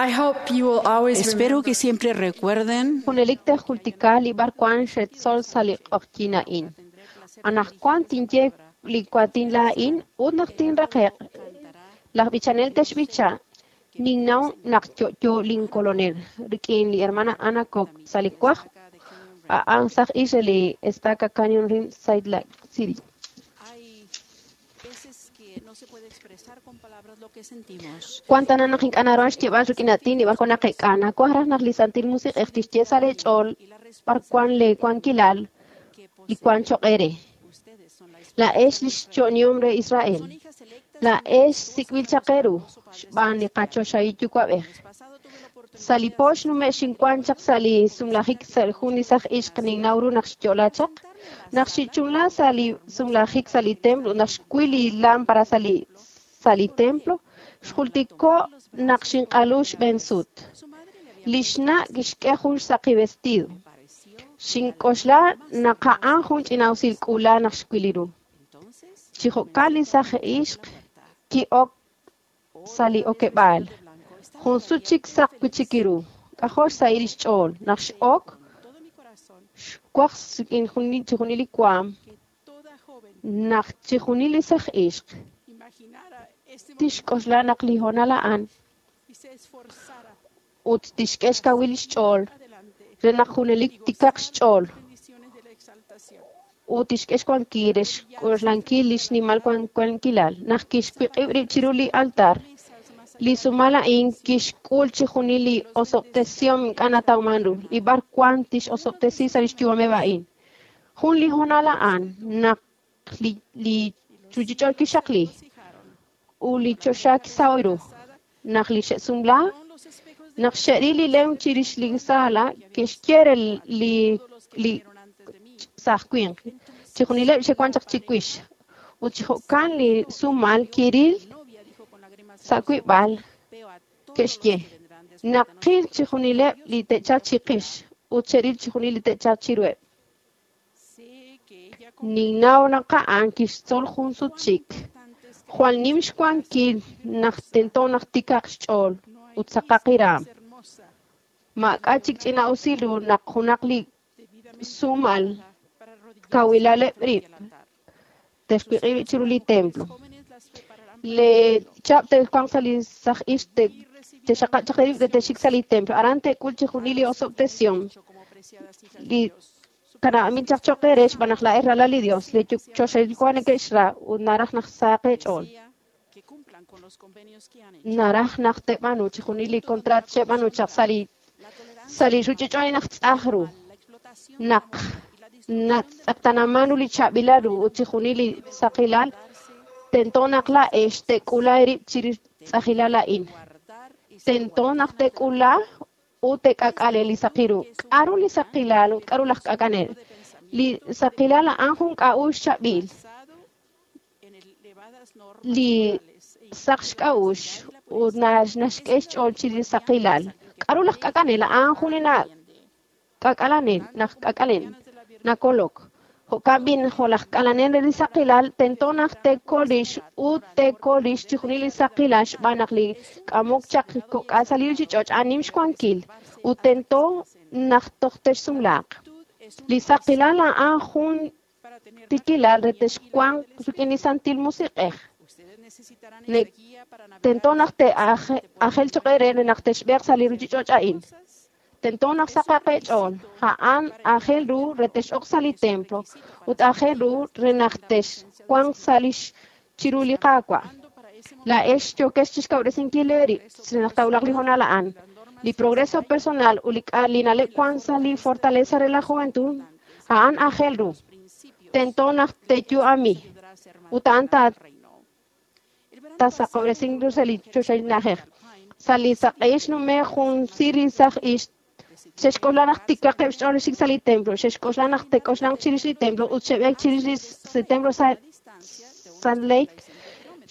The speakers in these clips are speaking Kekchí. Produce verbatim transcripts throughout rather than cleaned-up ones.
I hope you will always Espero que siempre recuerden Junelik tejultika li b'arwan xetzol sa' li q'oqyin a'in. Anaqwan tinye li waatin laa'in ut naq tinraqe'q, laj b'ichanel texb'icha ninnaw naq yo'yo linkolonel rik'in li hermana Anna Cook sa' li wajb' a'an saj ix re li Estaca Canyon Rim Salt Lake City. Hay veces que no se puede expresar con palabras lo que sentimos. Wan tana naq ink'a' naruhan xyeeb'al rik'in aatin li b'arwan naqeek'a. Nawaj raj naq li Santil Musiq'ej tixye sa' leech'ool b'arwan leewankilal Que li wan choq' eere. ustedes son la Laa'ex li xyo'nihom re Israel. Son hijas electas Laa'ex sik'b'il chaq eeru xb'aan li qachoxahil Yuwa'b'ej. pasado tuve la oportunidad Sa' li po xnume' xinwan chaq sa' li sumlajik sa' jun li saj ixq ninnaw ru naq xyo'la chaq. Naq xichunla sa' li sumlajik sa' li templo, naq xwil li lámpara sa' li sa' li templo, xjultiko' naq xinq'alu xb'een sut. Su madre le había Li xna' kixk'e jun xsaqi vestido. parecido. Xink'oxla naq a'an jun ch'ina'usil k'uula naq xwil ru. Entonces, Chi jo'kan li saj ixq ki'ok sa' li okeb'aal. de blanco estaba Jun sut chik saq wi'chik ru. K'ajo' xsahil xch'ool. Naq x'ok, todo mi corazón xwaj rik'in juni- chijunil li waam que toda joven naq chijunil li saj ixq imaginara este momento tixk'oxla naq li hoonal a'an y se esforzara ut tixk'e xkawil xch'ool adelante re naq junelik tikaq xch'ool bendiciones de la exaltación. ut tixk'e xwankil re xk'oxlankil li xnimal wan- wankilal. Naq kixwiq'ib' rib' chiru li altar, Mesas más li sumal a'in kixk'ul chijunil li osob'tesihom ink'a' natawman ru, li b'arwan tixosob'tesi sa' lix yu'ameb' a'in. Jun li hoonal a'an naq li, li ruchich'och kixaqli fijaron ut li choxa kisahoy ru. Naq li xe'sumla, con los espejos de naq xe'ril li lem chirix li sala, kixye re li, li vieron antes de mí. saj winq. Chijunileb' xe'wan chaq chiwix. Ut chi jo'kan li sumal kiril La novia dijo con lágrimas en sa' los ojos, wib'al veo a todos los ke'xye. que vendrán después de Naqil nosotros. chijunileb' li te'chalq chiqix ut xe'ril chijunil li te'chalq chiruheb'. Sé que ella Ninnaw naq a'an kixtzol jun sut chik. importante es que Jwal nim xwankil naq tento naq tikaq xch'ool no hay ut saqaq iraam. más hermosa Maak'a' chik ch'ina'usil ru naq junaq li debidamente sumal para arrodillarse kawilaleb' rib' al altar. texwiq'ib' rib' chiru li templo. Jóvenes las prepararán Le chab' te'wanq sa' li saj ix te- texaqab' chaq rib' re texik sa' li templo. Aran te'k'ul chijunil li osob'tesihom. mucho como preciadas hijas de Li Dios. Su kana'amin chaq choq eere xb'aan naq laa'ex ralal li Dios, li choxahil Yuwa' neke'xra ut naraj naq sahaq eech'ool. desea que cumplan con los convenios que han hecho. Naraj naq te'b'aanu chijunil li contrat xe'b'aanu chaq sa' li La tolerancia sa' li ruchich'och' naq tz'aj ru. la explotación de la Naq mujer y la destrucción natz'eqtanaman ru li chaab'ilal ru ut chijunil li saqilal, tento naq laa'ex te'k'ula eerib' chirix tz'ajilal a'in. guardar y ser Tento naq te'k'ula ut te'k'ak'ale li saqil ru. K'aru li saqilal ut k'aru laj k'ak'anel? Li saqilal a'an jun k'a'uxl chaab'il. basado en elevadas normas Li morales e saq xk'a'uxl ut nax- naxk'e xch'ool chirix li saqilal. K'aru laj k'ak'anel? A'an jun li na- k'ak'alanel, naj k'ak'alen, nakolok. Jo'kan b'i jo' laj k'alanel re li saqilal, tento naq te'kol rix ut te'kol rix chijunil li saqilal xb'aan naq li k'amok chaq kok'al sa' li ruchich'och' a'an nim xwankil ut tento naq toj texsumlaaq. Li saqilal a'an jun para tener tikilal re texwanq rik'in li Santil Musiq'ej. ustedes necesitarán Ne- esa guía para navegar Tento naq te'ajel choq eere re naq texb'eeq sa' li ruchich'och' a'in. Tento naq saqaq eech'ool. A'an aajel ru re tex'ok sa' li templo ut aajel ru re naq texwanq sa' lix chiru li Qaawa'. para ese Laa'ex yookex chixkawresinkil eerib' re naq taawulaq li hoonal a'an. Li progreso personal ut li k'a- li na'leb' wan sa' li fortaleza re la juventud a'an aajel ru. principio Tento naq te'yu'ami ayudará a ser más ut a'an ta- reino. El verano tasaqob'resin ru sa' li choxahil na'ajej. Sa' li saq'ehil xnume' jun sir li saj ix xe'xk'oxla naq tikaqeb' xch'ool xik sa' li templo, xe'xk'oxla naq te'k'oxlanq chirix li templo ut xe'b'eek chirix li s- templo sa' distancia de unos Salt Lake,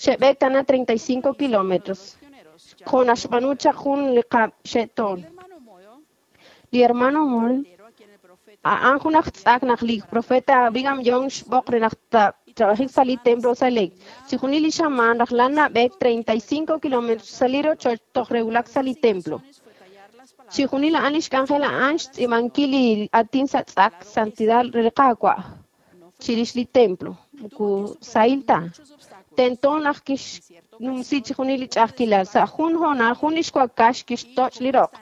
xe'b'eek tana treinta y cinco kilómetros. pioneros Jo' naxb'aanu chaq jun li qab' xe'toon. El hermano Moyo, Li hermano Moll, a quien el profeta A'an jun aj tz'ak naq li profeta Brigham Young xb'oq re naq trabajik sa' li templo Salt Lake. Chijunil li xamaan rajlal nab'eek treinta y cinco kilómetros sa' li rochoch toj rewulak sa' li templo. Chijunil a'an lix k'anjel a'an xtz'iib'ankil li aatin sa' tz'ak santidad re li Qaawa' chirix li templo. Moko sahil ta. Tento naq kixnumsi chijunil li ch'a'ajkilal. Sa' jun hoonal jun lix wakax kixtoch' li roq.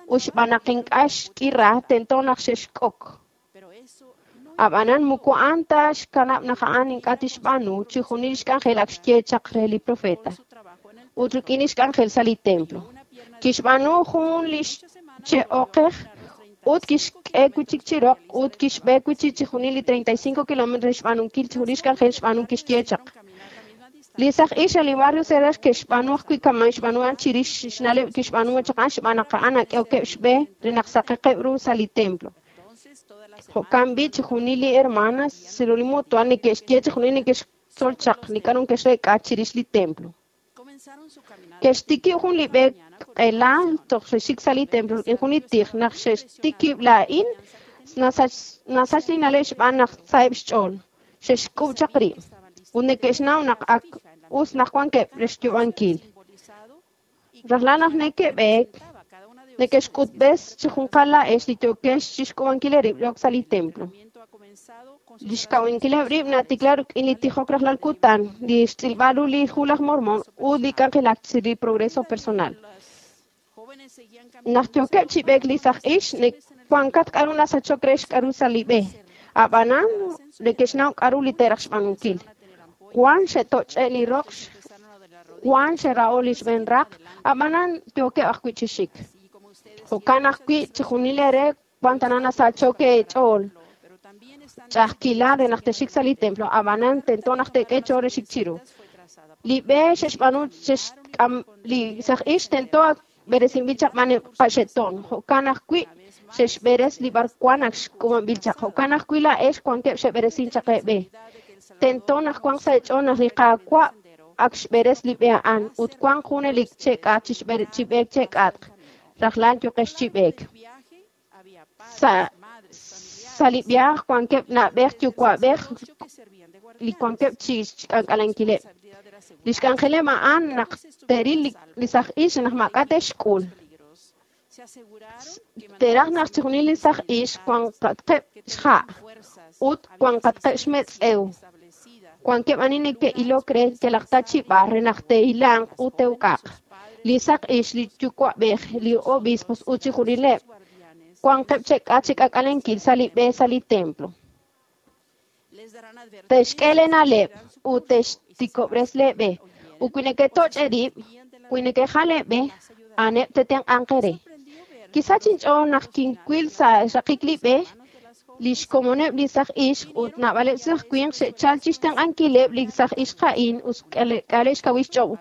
Ut xb'aan naq ink'a' xk'ira, tento naq xe'xk'ok. Ab'anan moko a'an ta xkanab' naq a'an ink'a' tixb'aanu chijunil lix k'anjel ak xye chaq re li profeta. Ut rik'in lix k'anjel sa' li templo. Kixb'aanu jun lix che'oqej ut kixk'e wi' chik chi roq ut kixb'e wi' chik chijunil li treinta y cinco kilómetros xb'aanunkil chijunil lix k'anjel xb'aanu kixye chaq. Li saj ix sa' li barrio Cedar ke'xb'aanu ajwi' kama' xb'aanu a'an chirix xna'leb' kixb'aanu chaq a'an xb'aan naq a'an ak'ehokeb' xb'e re naq saqaqeb' ru sa' li templo. Jo'kan b'i' chijunil li hermanas chiru li mutual neke'xye chijunil neke'xtzol chaq li k'a'ru neke'xreek'a chirix li templo. Ke'xtikib' jun li b'e q'ela toj xe'xik sa' li templo rik'in jun li tij naq xe'xtikib' laa'in nasach li na'leb' xb'aan naq saheb' xch'ool. Xe'xk'ub' chaq rib' ut neke'xnaw naq ak us naq wankeb' re xyub'ankil. Rajlal naq neke'b'eek, neke'xk'utb'es chi junqal laa'ex li yookex chixk'ub'ankil eerib' rok sa' li templo. Lix kawunkileb' rib' natikla rik'in li tijok rajlal kutan, li xtz'ilb'al ru li hu laj Mormon ut li k'anjelak chirix li progreso personal. Naq yookeb' chi b'eek li saj ix, wankat k'a'ru nasachok re xk'a'ru sa' li b'e. Ab'anan neke'xnaw k'a'ru li te'raj xb'aanunkil. Wan xe'toch'e' li roq, wan xe'ra'o li xb'een raq, ab'anan yookeb' ajwi' chi xik. Jo'kan ajwi' chijunil eere wan tana nasachok eech'ool. Ch'a'ajkilal re naq texik sa' li templo, ab'anan tento naq teek'e ch'ool re xik chiru. Li b'e xe'xb'aanu xe'xk'am li saj ix tento ak b'eresinb'il chaq b'aan qaxe'toon. Jo'kan ajwi' xe'xb'eres li b'arwan ak xk'ub'anb'il chaq. Jo'kan ajwi' laa'ex wankeb' xe'b'eresin chaq eeb'e. Tento naq wanq sa' eech'ool naq li Qaawa' ak xb'eres li b'e a'an ut wanq junelik che'k'atq chi b'eek che'k'atq. Rajlal yooqex chi b'eek. Sa' sa' li viaaj wankeb' na'b'ej yuwa'b'ej li wankeb' chi xk'ank'alankileb'. Li xk'anjeleb' a'an naq te'ril li saj ix naq maak'a' te'xk'ul. Te'raj naq chijunil li saj ix wanqatqeb' xha' ut wanqatqeb' xmetz'ew. Wankeb' ani neke'ilok re yalaq ta chi b'ar re naq te'ilanq ut te'uk'aq. Li saq ix, li yuwa'b'ej, li obispos ut chijunileb' wanqeb' che'k'atq chi k'ak'alenkil sa' li b'e sa' li templo. Te'xk'e lee na'leb' ut te'xtikob'res leeb'e. Ut wi neke'toch' eerib', wi neke'jal eeb'e, a'aneb' te'tenq'anq eere. Kisach inch'ool naq kinwil sa' xraqik li b'e, li xkomoneb' li saj ixq ut naab'aleb' saj winq xe'chal chixtenq'ankileb' li saj ixq a'in ut k'aleb' xkawil xch'ool.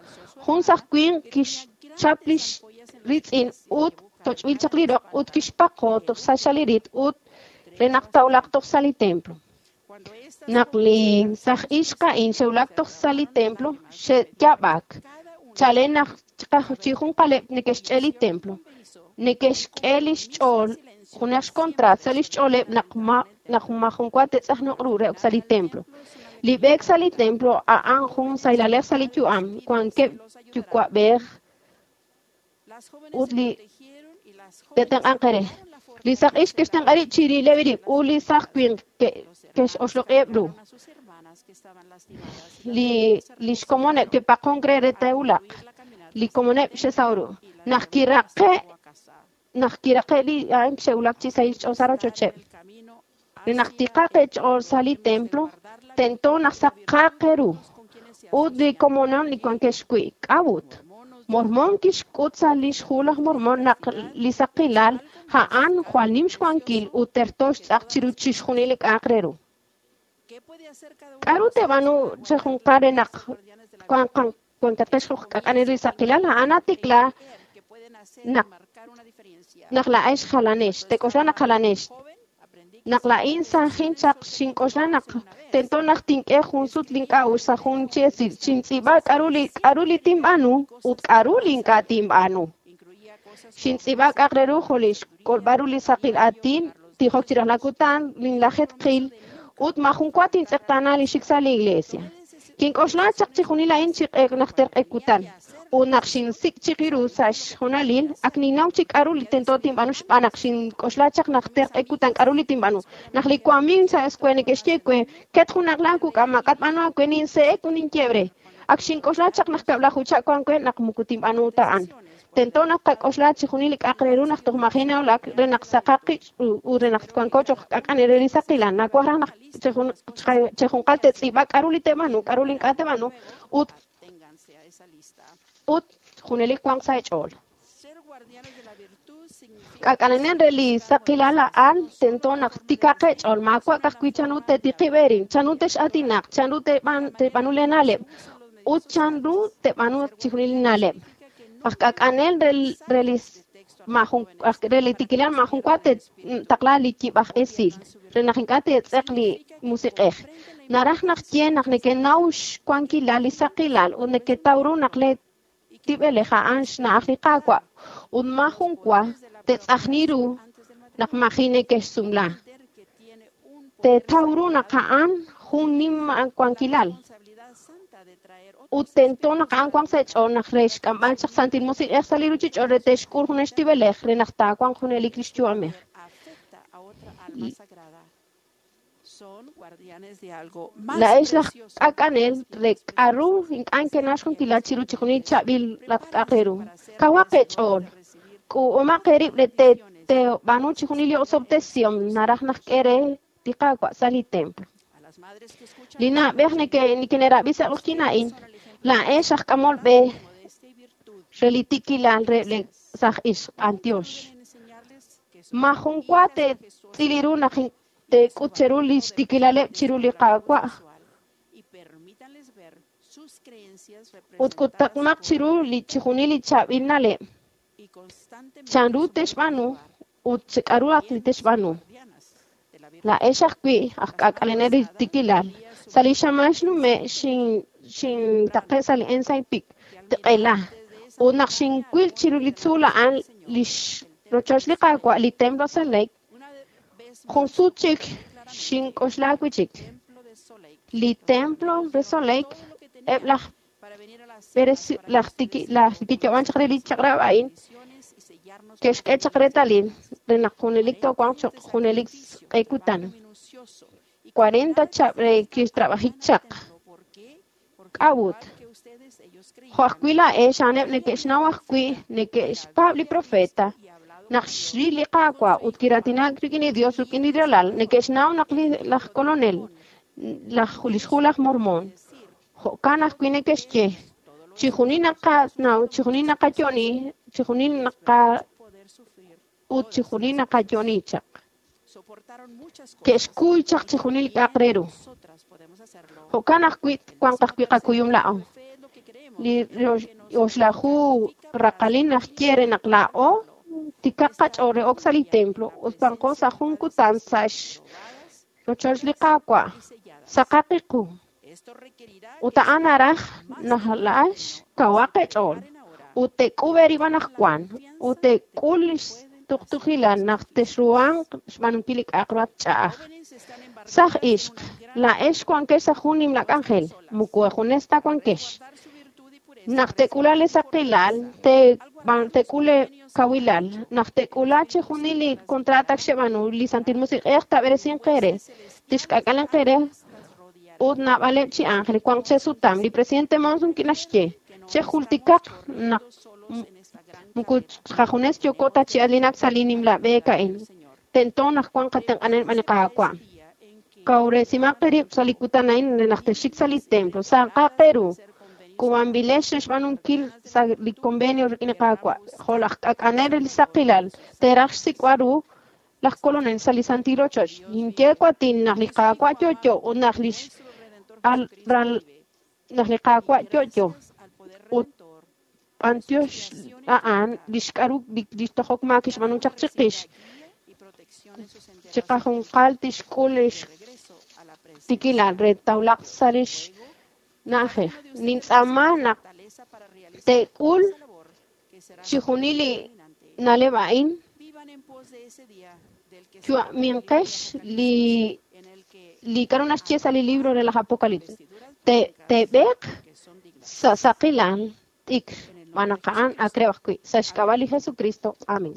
Jun saj winq kixchap lix ritz'in ut toch'b'il chaq li roq ut kixpaqo toj sa' xalirit ut re naq tawulaq toj sa' li templo. Naq li saj ixq a'in xe'wulak toj sa' li templo, xe'yaab'ak. Chalen naq chi junqaleb' neke'xch'e li templo. Neke'xk'e lix ch'ool junaq xkontraat sa' lix ch'ooleb' naq ma naq majun wa te'tz'ajnoq ru re ok sa' li templo. Li b'eek sa' li templo a'an jun sahilalej sa' li yu'am. Wankeb' yuwa'b'ej ut li te'tenq'anq eere. Li saj ix ke'xtenq'a rib' chirileb' rib' ut li saj winq ke'xoxloq'iheb' ru. Li lix komoneb' ke'paqonk re re te'wulaq. Li komoneb' xe'saw ru. Naq kiraqe' naq kiraqe' li a'an xe'wulak chi sahil xch'ool sa' rochocheb'. Re naq tiqaq eech'ool sa' li templo, tento naq saqaq eeru. Ut li komonon li wankex wi' k'a'ut. Mormon kixk'ut sa' lix hu laj Mormon naq li saqilal a'an jwal nim xwankil ut terto xtz'aq chiru chixjunil li k'a'aq re ru. K'a'ru te'b'aanu chejunqal re naq wankatqex k'ak'anel li saqilal a'an natikla naq naq laa'ex jalanex, te'k'oxla naq jalanex. Naq laa'in sajin chaq xink'oxla naq tento naq tink'e jun sut link'a'uxl sa' jun chi esil xintz'iib'a k'a'ru li k'a'ru li tinb'aanu ut k'a'ru li ink'a' tinb'aanu. Xintz'iib'a k'a'aq re ru jo' li xk'olb'al ru li saqil aatin tijok chi rajlal kutan, linlajeetqil, ut maajun wa tintz'eqtaana li xik sa' li iglesia. Kink'oxla chaq chixjunil a'in chi najter q'e kutan, ut naq xinsik' chik ru sa' xjunalil, ak ninnaw chik k'a'ru li tento tinb'aanu xb'aan naq xink'oxla chaq najter q'e kutan k'a'ru li tinb'aanu. Naq li wamiiw sa' escuela neke'xye we, ket junaq laa kuk'a maak'a' tb'aanu aawe, ninse'ek ut ninye re. Ak xink'oxla chaq naq kab'laju chaq wan we naq moko tinb'aanu ta a'an. Tento naq qak'oxla chixjunil li k'a'aq re ru naq toj maji' nawulak re naq saqaq qib' ut re naq wanko cho'q k'ak'anel re li saqilal. Nawaj raj naq chejunqal te'tz'iib'a k'a'ru li te'b'aanu, k'a'ru li ink'a' te'b'aanu, ut ut junelik wanq sa' eech'ool. Ser guardianes de la virtud significa K'ak'alenel re li saqilal a'an tento naq tikaq eech'ool, maawa' ka'ajwi' chanru te'tiqib' eerib', chanru tex'aatinaq, chanru te'b'an- te'b'aanu lee na'leb', ut chanru te'b'aanu chixjunil li na'leb'. Aj k'ak'anel re, re li maajun aj re li tikilal maajun wa te'taqla li yib'aj esil, re naq ink'a' te'tz'eq li musiq'ej. Naraj naq ye naq neke'naw xwankilal li saqilal ut neketaw ru naq lee tib'elej a'an xna'aj li Qaawa' ut maajun wa te'tz'ajni ru naq maji' neke'xsumla. entender que tiene un poder Teetaw ru naq a'an jun nim wankilal responsabilidad santa de traer ut tento naq a'an wanq sa' eech'ool naq re xk'amb'al chaq Santil Musiq'ej sa' li ruchich'och' re te'xk'ul jun xtib'elej re naq taawanq junelik li xyu'amej. afecta a otra alma sagrada. Son guardianes de algo más Laa'ex laj precioso k'ak'anel re k'a'ru ink'a' nkenaw xwankilal chiru chixjunil chaab'il laj k'a'aq re ru. Kawaq eech'ool, k'uub'omaq eerib' re te- teeb'aanu chixjunil li osob'tesihom naraj naq k'e re li Qaawa' sa' li templo. A las madres que escuchan Li na'b'ej neke- neke'rab'i sa' q'oqyink a'in, laa'ex aj k'amol b'e modestia y virtud re li tikilal re le saj ixq b'antiox. deben enseñarles que son Maajun wa te'tz'il ru naq in- te'k'ut cheru li xtikilaleb' chiru li Qaawa' sexual y permítanles ver sus creencias ut representadas k'utaqmaq chiru li chixjunil li chaab'il na'leb'. y constantemente Chanru su modo de te'xb'aanu actuar, ut k'a'ru ak li te'xb'aanu. guardianas de la virtud. Laa'ex ajwi' aj k'ak'alenel li tikilal. Sa' li xamaan xnume' xin xintaqe' sa' li Ensign Peak tiq'ela. Ut naq xinwil chiru li tzuul a'an li rochoch li Qaawa' li templo Salt Lake, Una vez jun sut chik xink'oxla wi' chik. templo de Salt Lake Li templo re Salt Lake, todo lo que tenía eb' laj para venir a la cena, b'eresi- para laj tiki- laj kiyo'wan chaq re li chaq'rab' a'in, bendiciones y sellarnos ke'xk'e chaq reetalil re naq junelik toowanq cho'q junelik q'e kutan. minucioso y cuarenta chab' re kixtrab'ajik chaq. ¿Por qué? Porque K'a'ut? igual que ustedes ellos creían Jo' ajwi' laa'ex a'aneb' neke'xnaw ajwi' neke'xpaab' li profeta y hablado naq xril li Qaawa' ut kiraatinak rik'in li Dios rik'in li Ralal, neke'xnaw naq li laj Kolonel, laj lix hu laj Mormon, jo'kan ajwi' neke'xye, chixjunil naqanaw, chixjunil naqayo'oni, chixjunil naqa poder sufrir ut chixjunil naqayo'oni chaq. soportaron muchas cosas Ke'xkuy chaq chixjunil li k'a'aq re ru. nosotras podemos hacerlo Jo'kan ajwi' wanq ajwi' qakuyum laa'o. fe es lo que creemos Li rox- oxlaju raqalil naxye re naq laa'o tikaq qach'ool re ok sa' li templo ut wanqo sa' jun kutan sa' rochoch li Qaawa' y selladas saqaq qiqu. esto requerirá Ut a'an naraj naq laa'ex kawaq eech'ool ut te'k'ub' eerib' anaqwan ut te'k'ul li xtuqtuqilal naq texruhanq xb'aanunkil li k'a'aq ru at ch'a'aj. jóvenes están embarcadas Saj ixq, laa'ex wankex sa' jun nimla k'anjel, moko junes ta wankex. guardar su virtud y pureza Naq te'k'ula li saqilal, te- te'k'ul li kawilal, naq te'k'ula chixjunil li contrato ak xeb'aanu, li Santil Musiq'ej taab'eresinq eere, tixk'ak'alenq eere ut naab'aleb' chi ángel wanq chesutam. Li presidente Monson kinaxye, chejultikaq naq solos en esta gran moko qajunes yooko ta chi alinak sa' li nimla b'eek a'in. Tento naq wanq qatenq'anel b'an li Qaawa'. día en que Kawresimaq eerib' sa' li kutan a'in re naq texxik sa' li templo. Saqaq eeru. K'uub'anb'ilex re xb'aanunkil sa' li convenio rik'in li Qaawa'. Jo' laj k'ak'anel re li saqilal, teeraj xsik'b'al ru laj Kolonel sa' li Santil Ochoch. Ninye waatin naq li Qaawa' yo'yo ut naq lix su redentor al- ral- naq li Qaawa' yo'yo. al poder Ut redentor b'antiox a'an lix k'a'ru li li tojok maak kixb'aanu chaq chiqix. guía y protección en sus enteras Chiqajunqal tixk'ul lix regreso a la presencia tikilal re tawlaq sa' lix na'ajej. Nintz'aama naq fortaleza para realizar te'k'ul esa labor que será chixjunil li determinante na'leb' a'in vivan en pos de ese día de Yu'aminqex li li k'aru naxye sa' li libro re laj Apocalipsis. Te teeb'eeq sa' saqilal t'ikr xb'aan naq a'an ak re ajwi' sa' xk'ab'a' li Jesucristo. Amén.